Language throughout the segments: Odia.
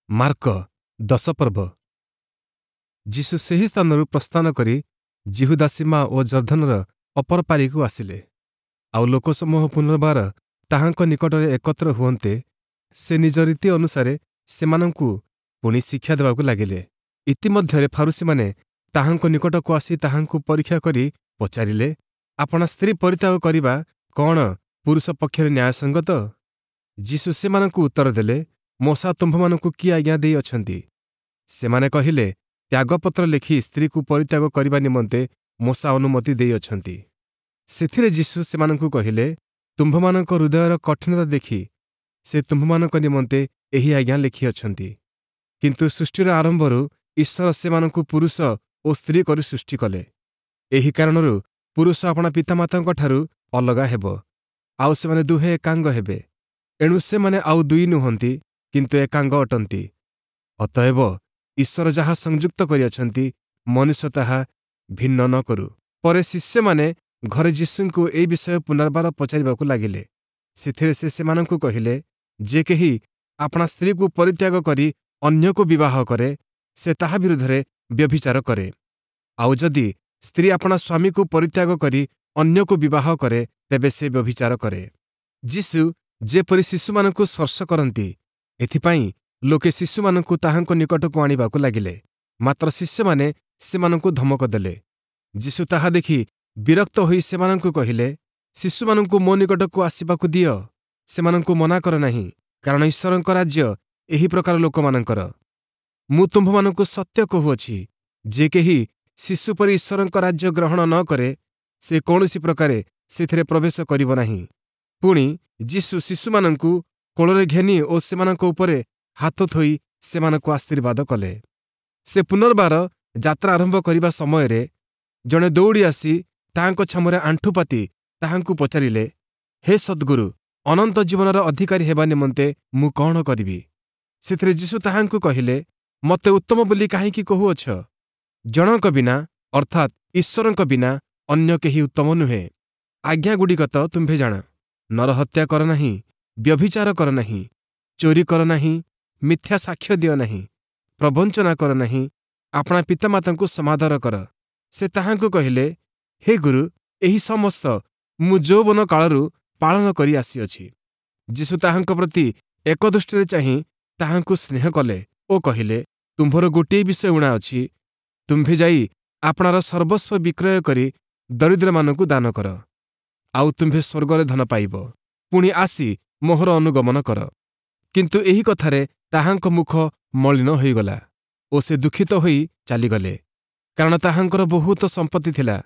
ମାର୍କ 10 ପର୍ବ। ଯୀଶୁ ସେହି ସ୍ଥାନରୁ ପ୍ରସ୍ଥାନ କରି ଯିହୁଦା ସୀମା ଓ ଯର୍ଦ୍ଦନର ଅପର ପାରିକୁ ଆସିଲେ। ଆଉ ଲୋକସମୂହ ପୁନର୍ବାର ତାହାଙ୍କ ନିକଟରେ ଏକତ୍ର ହୁଅନ୍ତେ, ସେ ନିଜ ରୀତି ଅନୁସାରେ ସେମାନଙ୍କୁ ପୁଣି ଶିକ୍ଷା ଦେବାକୁ ଲାଗିଲେ। ଇତିମଧ୍ୟରେ ଫାରୂଶୀମାନେ ତାହାଙ୍କ ନିକଟକୁ ଆସି ତାହାଙ୍କୁ ପରୀକ୍ଷା କରି ପଚାରିଲେ, ଆପଣା ସ୍ତ୍ରୀ ପରିତ୍ୟାଗ କରିବା କଅଣ ପୁରୁଷ ପକ୍ଷରେ ନ୍ୟାୟସଙ୍ଗତ? ଯୀଶୁ ସେମାନଙ୍କୁ ଉତ୍ତର ଦେଲେ, ମୋଶା ତୁମ୍ଭମାନଙ୍କୁ କି ଆଜ୍ଞା ଦେଇଅଛନ୍ତି? ସେମାନେ କହିଲେ, ତ୍ୟାଗପତ୍ର ଲେଖି ସ୍ତ୍ରୀକୁ ପରିତ୍ୟାଗ କରିବା ନିମନ୍ତେ ମୋଶା ଅନୁମତି ଦେଇଅଛନ୍ତି। ସେଥିରେ ଯୀଶୁ ସେମାନଙ୍କୁ କହିଲେ, ତୁମ୍ଭମାନଙ୍କ ହୃଦୟର କଠିନତା ଦେଖି ସେ ତୁମ୍ଭମାନଙ୍କ ନିମନ୍ତେ ଏହି ଆଜ୍ଞା ଲେଖିଅଛନ୍ତି। କିନ୍ତୁ ସୃଷ୍ଟିର ଆରମ୍ଭରୁ ଈଶ୍ୱର ସେମାନଙ୍କୁ ପୁରୁଷ ଓ ସ୍ତ୍ରୀ କରି ସୃଷ୍ଟି କଲେ। ଏହି କାରଣରୁ ପୁରୁଷ ଆପଣା ପିତାମାତାଙ୍କଠାରୁ ଅଲଗା ହେବ, ଆଉ ସେମାନେ ଦୁହେଁ ଏକାଙ୍ଗ ହେବେ। ଏଣୁ ସେମାନେ ଆଉ ଦୁଇ ନୁହନ୍ତି, କିନ୍ତୁ ଏକାଙ୍ଗ ଅଟନ୍ତି। ଅତଏବ ଈଶ୍ୱର ଯାହା ସଂଯୁକ୍ତ କରିଅଛନ୍ତି, ମନୁଷ୍ୟ ତାହା ଭିନ୍ନ ନ କରୁ। ପରେ ଶିଷ୍ୟମାନେ ଘରେ ଯୀଶୁଙ୍କୁ ଏହି ବିଷୟ ପୁନର୍ବାର ପଚାରିବାକୁ ଲାଗିଲେ। ସେଥିରେ ସେ ସେମାନଙ୍କୁ କହିଲେ, ଯେ କେହି ଆପଣା ସ୍ତ୍ରୀକୁ ପରିତ୍ୟାଗ କରି ଅନ୍ୟକୁ ବିବାହ କରେ, ସେ ତାହା ବିରୁଦ୍ଧରେ ବ୍ୟଭିଚାର କରେ। ଆଉ ଯଦି ସ୍ତ୍ରୀ ଆପଣା ସ୍ୱାମୀକୁ ପରିତ୍ୟାଗ କରି ଅନ୍ୟକୁ ବିବାହ କରେ, ତେବେ ସେ ବ୍ୟଭିଚାର କରେ। ଯୀଶୁ ଯେପରି ଶିଶୁମାନଙ୍କୁ ସ୍ପର୍ଶ କରନ୍ତି, ଏଥିପାଇଁ ଲୋକେ ଶିଶୁମାନଙ୍କୁ ତାହାଙ୍କ ନିକଟକୁ ଆଣିବାକୁ ଲାଗିଲେ। ମାତ୍ର ଶିଷ୍ୟମାନେ ସେମାନଙ୍କୁ ଧମକ ଦେଲେ। ଯୀଶୁ ତାହା ଦେଖି ବିରକ୍ତ ହୋଇ ସେମାନଙ୍କୁ କହିଲେ, ଶିଶୁମାନଙ୍କୁ ମୋ ନିକଟକୁ ଆସିବାକୁ ଦିଅ, ସେମାନଙ୍କୁ ମନା କର ନାହିଁ, କାରଣ ଈଶ୍ୱରଙ୍କ ରାଜ୍ୟ ଏହି ପ୍ରକାର ଲୋକମାନଙ୍କର। ମୁଁ ତୁମ୍ଭମାନଙ୍କୁ ସତ୍ୟ କହୁଅଛି, ଯେ କେହି ଶିଶୁ ପରି ଈଶ୍ୱରଙ୍କ ରାଜ୍ୟ ଗ୍ରହଣ ନ କରେ, ସେ କୌଣସି ପ୍ରକାରେ ସେଥିରେ ପ୍ରବେଶ କରିବ ନାହିଁ। ପୁଣି ଯୀଶୁ ଶିଶୁମାନଙ୍କୁ କୋଳରେ ଘେନି ଓ ସେମାନଙ୍କ ଉପରେ ହାତ ଥୋଇ ସେମାନଙ୍କୁ ଆଶୀର୍ବାଦ କଲେ। ସେ ପୁନର୍ବାର ଯାତ୍ରା ଆରମ୍ଭ କରିବା ସମୟରେ ଜଣେ ଦୌଡ଼ି ଆସି ତାହାଙ୍କ ଛାମୁରେ ଆଣ୍ଠୁପାତି ତାହାଙ୍କୁ ପଚାରିଲେ, ହେ ସଦ୍ଗୁରୁ, ଅନନ୍ତ ଜୀବନର ଅଧିକାରୀ ହେବା ନିମନ୍ତେ ମୁଁ କଅଣ କରିବି? ସେଥିରେ ଯୀଶୁ ତାହାଙ୍କୁ କହିଲେ, ମୋତେ ଉତ୍ତମ ବୋଲି କାହିଁକି କହୁଅଛ? ଜଣଙ୍କ ବିନା, ଅର୍ଥାତ୍ ଈଶ୍ୱରଙ୍କ ବିନା ଅନ୍ୟ କେହି ଉତ୍ତମ ନୁହେଁ। ଆଜ୍ଞାଗୁଡ଼ିକ ତ ତୁମ୍ଭେ ଜାଣ। ନରହତ୍ୟା କର ନାହିଁ, ବ୍ୟଭିଚାର କର ନାହିଁ, ଚୋରି କର ନାହିଁ, ମିଥ୍ୟା ସାକ୍ଷ୍ୟ ଦିଅ ନାହିଁ, ପ୍ରବଞ୍ଚନା କର ନାହିଁ, ଆପଣା ପିତାମାତାଙ୍କୁ ସମାଦର କର। ସେ ତାହାଙ୍କୁ କହିଲେ, ହେ ଗୁରୁ, ଏହି ସମସ୍ତ ମୁଁ ଯୌବନ କାଳରୁ ପାଳନ କରି ଆସିଅଛି। ଯୀଶୁ ତାହାଙ୍କ ପ୍ରତି ଏକ ଦୃଷ୍ଟିରେ ଚାହିଁ ତାହାଙ୍କୁ ସ୍ନେହ କଲେ ଓ କହିଲେ, ତୁମ୍ଭର ଗୋଟିଏ ବିଷୟ ଊଣା ଅଛି। ତୁମ୍ଭେ ଯାଇ ଆପଣାର ସର୍ବସ୍ୱ ବିକ୍ରୟ କରି ଦରିଦ୍ରମାନଙ୍କୁ ଦାନ କର, ଆଉ ତୁମ୍ଭେ ସ୍ୱର୍ଗରେ ଧନ ପାଇବ। ପୁଣି ଆସି ମୋହର ଅନୁଗମନ କର। କିନ୍ତୁ ଏହି କଥାରେ ତାହାଙ୍କ ମୁଖ ମଳିନ ହୋଇଗଲା ଓ ସେ ଦୁଃଖିତ ହୋଇ ଚାଲିଗଲେ, କାରଣ ତାହାଙ୍କର ବହୁତ ସମ୍ପତ୍ତି ଥିଲା।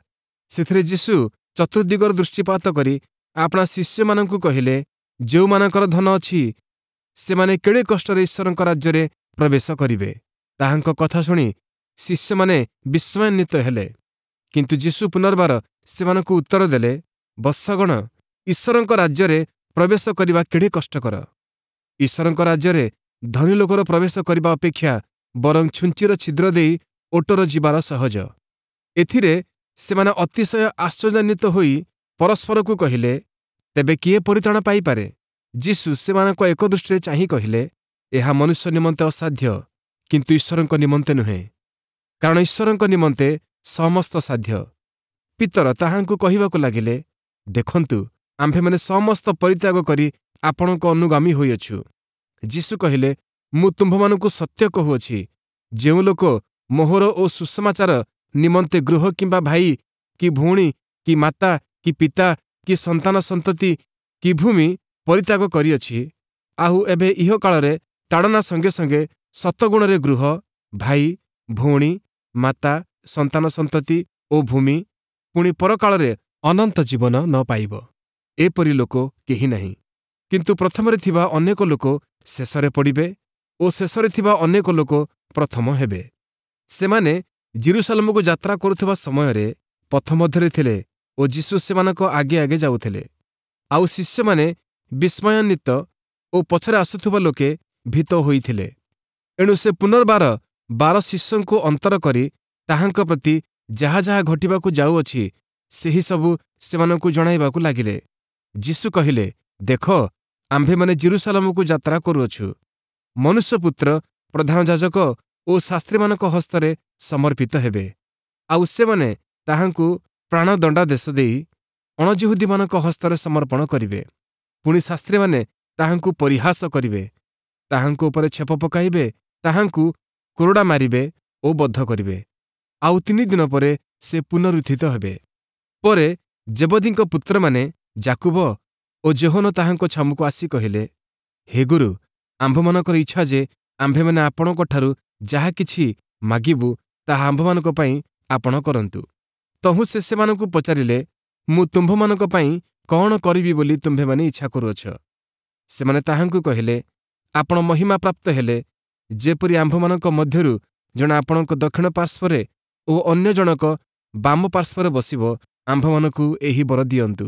ସେଥିରେ ଯୀଶୁ ଚତୁର୍ଦ୍ଦିଗର ଦୃଷ୍ଟିପାତ କରି ଆପଣା ଶିଷ୍ୟମାନଙ୍କୁ କହିଲେ, ଯେଉଁମାନଙ୍କର ଧନ ଅଛି, ସେମାନେ କେଡ଼େ କଷ୍ଟରେ ଈଶ୍ୱରଙ୍କ ରାଜ୍ୟରେ ପ୍ରବେଶ କରିବେ। ତାହାଙ୍କ କଥା ଶୁଣି ଶିଷ୍ୟମାନେ ବିସ୍ମୟାନ୍ୱିତ ହେଲେ। କିନ୍ତୁ ଯୀଶୁ ପୁନର୍ବାର ସେମାନଙ୍କୁ ଉତ୍ତର ଦେଲେ, ବତ୍ସଗଣ, ଈଶ୍ୱରଙ୍କ ରାଜ୍ୟରେ ପ୍ରବେଶ କରିବା କେଡ଼େ କଷ୍ଟକର! ଈଶ୍ୱରଙ୍କ ରାଜ୍ୟରେ ଧନୀ ଲୋକର ପ୍ରବେଶ କରିବା ଅପେକ୍ଷା ବରଂ ଛୁଞ୍ଚିର ଛିଦ୍ର ଦେଇ ଓଟର ଯିବାର ସହଜ। ଏଥିରେ ସେମାନେ ଅତିଶୟ ଆଶ୍ଚର୍ଯ୍ୟାନ୍ୱିତ ହୋଇ ପରସ୍ପରକୁ କହିଲେ, ତେବେ କିଏ ପରିତ୍ରାଣ ପାଇପାରେ? ଯୀଶୁ ସେମାନଙ୍କ ଏକ ଦୃଷ୍ଟିରେ ଚାହିଁ କହିଲେ, ଏହା ମନୁଷ୍ୟ ନିମନ୍ତେ ଅସାଧ୍ୟ, କିନ୍ତୁ ଈଶ୍ୱରଙ୍କ ନିମନ୍ତେ ନୁହେଁ, କାରଣ ଈଶ୍ୱରଙ୍କ ନିମନ୍ତେ ସମସ୍ତ ସାଧ୍ୟ। ପିତର ତାହାଙ୍କୁ କହିବାକୁ ଲାଗିଲେ, ଦେଖନ୍ତୁ, ଆମ୍ଭେମାନେ ସମସ୍ତ ପରିତ୍ୟାଗ କରି ଆପଣଙ୍କ ଅନୁଗାମୀ ହୋଇଅଛୁ। ଯୀଶୁ କହିଲେ, ମୁଁ ତୁମ୍ଭମାନଙ୍କୁ ସତ୍ୟ କହୁଅଛି, ଯେଉଁ ଲୋକ ମୋହର ଓ ସୁସମାଚାର ନିମନ୍ତେ ଗୃହ କିମ୍ବା ଭାଇ କି ଭଉଣୀ କି ମାତା କି ପିତା କି ସନ୍ତାନ ସନ୍ତତି କି ଭୂମି ପରିତ୍ୟାଗ କରିଅଛି, ଆଉ ଏବେ ଇହକାଳରେ ତାଡ଼ନା ସଙ୍ଗେ ସଙ୍ଗେ ଶତଗୁଣରେ ଗୃହ, ଭାଇ, ଭଉଣୀ, ମାତା, ସନ୍ତାନ ସନ୍ତତି ଓ ଭୂମି, ପୁଣି ପରକାଳରେ ଅନନ୍ତ ଜୀବନ ନ ପାଇବ, ଏପରି ଲୋକ କେହି ନାହିଁ। କିନ୍ତୁ ପ୍ରଥମରେ ଥିବା ଅନେକ ଲୋକ ଶେଷରେ ପଡ଼ିବେ ଓ ଶେଷରେ ଥିବା ଅନେକ ଲୋକ ପ୍ରଥମ ହେବେ। ସେମାନେ ଯିରୂଶାଲମକୁ ଯାତ୍ରା କରୁଥିବା ସମୟରେ ପଥ ମଧ୍ୟରେ ଥିଲେ ଓ ଯୀଶୁ ସେମାନଙ୍କ ଆଗେ ଆଗେ ଯାଉଥିଲେ। ଆଉ ଶିଷ୍ୟମାନେ ବିସ୍ମୟାନ୍ୱିତ ଓ ପଛରେ ଆସୁଥିବା ଲୋକେ ଭୀତ ହୋଇଥିଲେ। ଏଣୁ ସେ ପୁନର୍ବାର 12 ଶିଷ୍ୟଙ୍କୁ ଅନ୍ତର କରି ତାହାଙ୍କ ପ୍ରତି ଯାହା ଯାହା ଘଟିବାକୁ ଯାଉଅଛି, ସେହି ସବୁ ସେମାନଙ୍କୁ ଜଣାଇବାକୁ ଲାଗିଲେ। ଯୀଶୁ କହିଲେ, ଦେଖ, ଆମ୍ଭେମାନେ ଯିରୂଶାଲମକୁ ଯାତ୍ରା କରୁଅଛୁ। ମନୁଷ୍ୟପୁତ୍ର ପ୍ରଧାନ ଯାଜକ ଓ ଶାସ୍ତ୍ରୀମାନଙ୍କ ହସ୍ତରେ ସମର୍ପିତ ହେବେ, ଆଉ ସେମାନେ ତାହାଙ୍କୁ ପ୍ରାଣଦଣ୍ଡାଦେଶ ଦେଇ ଅଣଯିହୁଦୀମାନଙ୍କ ହସ୍ତରେ ସମର୍ପଣ କରିବେ। ପୁଣି ଶାସ୍ତ୍ରୀମାନେ ତାହାଙ୍କୁ ପରିହାସ କରିବେ, ତାହାଙ୍କ ଉପରେ ଛେପ ପକାଇବେ, ତାହାଙ୍କୁ କୋରଡ଼ା ମାରିବେ ଓ ବଧ କରିବେ। ଆଉ 3 ଦିନ ପରେ ସେ ପୁନରୁତ୍ଥିତ ହେବେ। ପରେ ଜେବଦୀଙ୍କ ପୁତ୍ରମାନେ ଯାକୁବ ଓ ଯୋହନ ତାହାଙ୍କ ଛାମୁକୁ ଆସି କହିଲେ, ହେ ଗୁରୁ, ଆମ୍ଭମାନଙ୍କର ଇଚ୍ଛା ଯେ ଆମ୍ଭେମାନେ ଆପଣଙ୍କଠାରୁ ଯାହା କିଛି ମାଗିବୁ ତାହା ଆମ୍ଭମାନଙ୍କ ପାଇଁ ଆପଣ କରନ୍ତୁ। ତହୁଁ ସେ ସେମାନଙ୍କୁ ପଚାରିଲେ, ମୁଁ ତୁମ୍ଭମାନଙ୍କ ପାଇଁ କ'ଣ କରିବି ବୋଲି ତୁମ୍ଭେମାନେ ଇଚ୍ଛା କରୁଅଛ? ସେମାନେ ତାହାଙ୍କୁ କହିଲେ, ଆପଣ ମହିମା ପ୍ରାପ୍ତ ହେଲେ ଯେପରି ଆମ୍ଭମାନଙ୍କ ମଧ୍ୟରୁ ଜଣେ ଆପଣଙ୍କ ଦକ୍ଷିଣ ପାର୍ଶ୍ୱରେ ଓ ଅନ୍ୟ ଜଣକ ବାମ ପାର୍ଶ୍ୱରେ ବସିବ, ଆମ୍ଭମାନଙ୍କୁ ଏହି ବର ଦିଅନ୍ତୁ।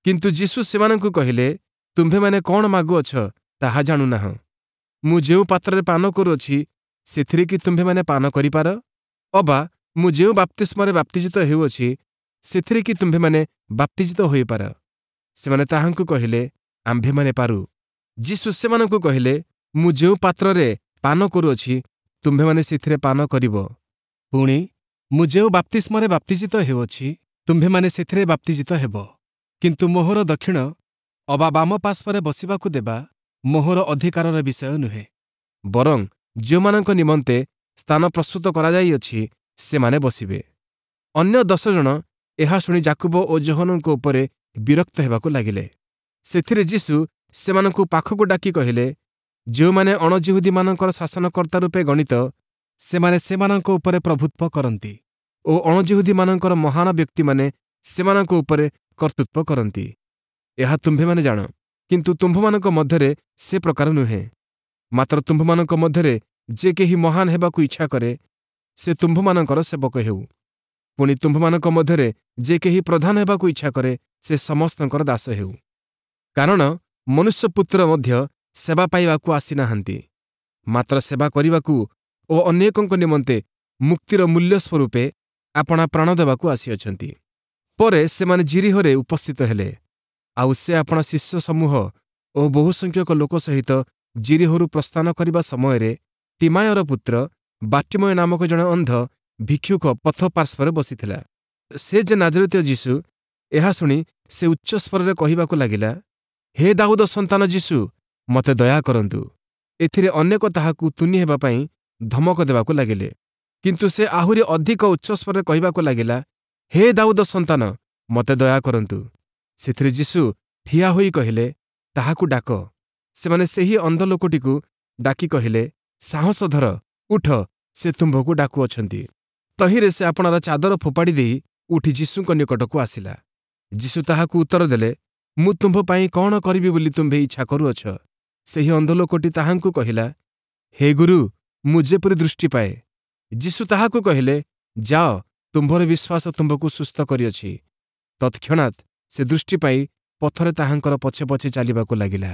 କିନ୍ତୁ ଯୀଶୁ ସେମାନଙ୍କୁ କହିଲେ, ତୁମ୍ଭେମାନେ କ'ଣ ମାଗୁଅଛ ତାହା ଜାଣୁନାହଁ। ମୁଁ ଯେଉଁ ପାତ୍ରରେ ପାନ କରୁଅଛି ସେଥିରେ କି ତୁମ୍ଭେମାନେ ପାନ କରିପାର? ଅବା ମୁଁ ଯେଉଁ ବାପ୍ତିସ୍ମରେ ବାପ୍ତିଜିତ ହେଉଅଛି ସେଥିରେ କି ତୁମ୍ଭେମାନେ ବାପ୍ତିଜିତ ହୋଇପାର? ସେମାନେ ତାହାଙ୍କୁ କହିଲେ, ଆମ୍ଭେମାନେ ପାରୁ। ଯୀଶୁ ସେମାନଙ୍କୁ କହିଲେ, ମୁଁ ଯେଉଁ ପାତ୍ରରେ ପାନ କରୁଅଛି ତୁମ୍ଭେମାନେ ସେଥିରେ ପାନ କରିବ, ପୁଣି ମୁଁ ଯେଉଁ ବାପ୍ତିସ୍ମରେ ବାପ୍ତିଜିତ ହେଉଅଛି ତୁମ୍ଭେମାନେ ସେଥିରେ ବାପ୍ତିଜିତ ହେବ। କିନ୍ତୁ ମୋହର ଦକ୍ଷିଣ ଅବା ବାମ ପାର୍ଶ୍ୱରେ ବସିବାକୁ ଦେବା ମୋହର ଅଧିକାରର ବିଷୟ ନୁହେଁ, ବରଂ ଯେଉଁମାନଙ୍କ ନିମନ୍ତେ ସ୍ଥାନ ପ୍ରସ୍ତୁତ କରାଯାଇଅଛି ସେମାନେ ବସିବେ। ଅନ୍ୟ 10 ଜଣ ଏହା ଶୁଣି ଯାକୁବ ଓ ଯୋହନଙ୍କ ଉପରେ ବିରକ୍ତ ହେବାକୁ ଲାଗିଲେ। ସେଥିରେ ଯୀଶୁ ସେମାନଙ୍କୁ ପାଖକୁ ଡାକି କହିଲେ, ଯେଉଁମାନେ ଅଣଯିହୁଦୀମାନଙ୍କର ଶାସନକର୍ତ୍ତା ରୂପେ ଗଣିତ ସେମାନେ ସେମାନଙ୍କ ଉପରେ ପ୍ରଭୁତ୍ୱ କରନ୍ତି ଓ ଅଣଯିହୁଦୀମାନଙ୍କର ମହାନ ବ୍ୟକ୍ତିମାନେ ସେମାନଙ୍କ ଉପରେ କର୍ତ୍ତୃତ୍ୱ କରନ୍ତି। ଏହା ତୁମ୍ଭେମାନେ ଜାଣ, କିନ୍ତୁ ତୁମ୍ଭମାନଙ୍କ ମଧ୍ୟରେ ସେ ପ୍ରକାର ନୁହେଁ। ମାତ୍ର ତୁମ୍ଭମାନଙ୍କ ମଧ୍ୟରେ ଯେ କେହି ମହାନ ହେବାକୁ ଇଚ୍ଛା କରେ ସେ ତୁମ୍ଭମାନଙ୍କର ସେବକ ହେଉ। ପୁଣି ତୁମ୍ଭମାନଙ୍କ ମଧ୍ୟରେ ଯେ କେହି ପ୍ରଧାନ ହେବାକୁ ଇଚ୍ଛା କରେ ସେ ସମସ୍ତଙ୍କର ଦାସ ହେଉ। କାରଣ ମନୁଷ୍ୟପୁତ୍ର ମଧ୍ୟ ସେବା ପାଇବାକୁ ଆସିନାହାନ୍ତି, ମାତ୍ର ସେବା କରିବାକୁ ଓ ଅନେକଙ୍କ ନିମନ୍ତେ ମୁକ୍ତିର ମୂଲ୍ୟ ସ୍ୱରୂପେ ଆପଣା ପ୍ରାଣ ଦେବାକୁ ଆସିଅଛନ୍ତି। ପରେ ସେମାନେ ଯିରୀହୋରେ ଉପସ୍ଥିତ ହେଲେ। ଆଉ ସେ ଆପଣା ଶିଷ୍ୟ ସମୂହ ଓ ବହୁସଂଖ୍ୟକ ଲୋକ ସହିତ ଯିରୀହୋରୁ ପ୍ରସ୍ଥାନ କରିବା ସମୟରେ ତିମାୟର ପୁତ୍ର ବାର୍ଟିମୟ ନାମକ ଜଣେ ଅନ୍ଧ ଭିକ୍ଷୁକ ପଥ ପାର୍ଶ୍ୱରେ ବସିଥିଲା। ସେ ଯେ ନାଜରିତୀୟ ଯୀଶୁ, ଏହା ଶୁଣି ସେ ଉଚ୍ଚସ୍ୱରରେ କହିବାକୁ ଲାଗିଲା, ହେ ଦାଉଦ ସନ୍ତାନ ଯୀଶୁ, ମୋତେ ଦୟା କରନ୍ତୁ। ଏଥିରେ ଅନେକ ତାହାକୁ ତୁନି ହେବା ପାଇଁ ଧମକ ଦେବାକୁ ଲାଗିଲେ। କିନ୍ତୁ ସେ ଆହୁରି ଅଧିକ ଉଚ୍ଚସ୍ୱରରେ କହିବାକୁ ଲାଗିଲା, ହେ ଦାଉଦ ସନ୍ତାନ, ମୋତେ ଦୟା କରନ୍ତୁ। ସେଥିରେ ଯୀଶୁ ଠିଆ ହୋଇ କହିଲେ, ତାହାକୁ ଡାକ। ସେମାନେ ସେହି ଅନ୍ଧ ଲୋକଟିକୁ ଡାକି କହିଲେ, ସାହସ ଧର, ଉଠ, ସେ ତୁମ୍ଭକୁ ଡାକୁଅଛନ୍ତି। ତହିଁରେ ସେ ଆପଣାର ଚାଦର ଫୋପାଡ଼ି ଦେଇ ଉଠି ଯୀଶୁଙ୍କ ନିକଟକୁ ଆସିଲା। ଯୀଶୁ ତାହାକୁ ଉତ୍ତର ଦେଲେ, ମୁଁ ତୁମ୍ଭ ପାଇଁ କ'ଣ କରିବି ବୋଲି ତୁମ୍ଭେ ଇଚ୍ଛା କରୁଅଛ? ସେହି ଅନ୍ଧ ଲୋକଟି ତାହାଙ୍କୁ କହିଲା, ହେ ଗୁରୁ, ମୁଁ ଯେପରି ଦୃଷ୍ଟି ପାଏ। ଯୀଶୁ ତାହାକୁ କହିଲେ, ଯାଅ, ତୁମ୍ଭର ବିଶ୍ୱାସ ତୁମ୍ଭକୁ ସୁସ୍ଥ କରିଅଛି। ତତ୍କ୍ଷଣାତ୍ ସେ ଦୃଷ୍ଟି ପାଇ ପଥରେ ତାହାଙ୍କର ପଛେ ପଛେ ଚାଲିବାକୁ ଲାଗିଲା।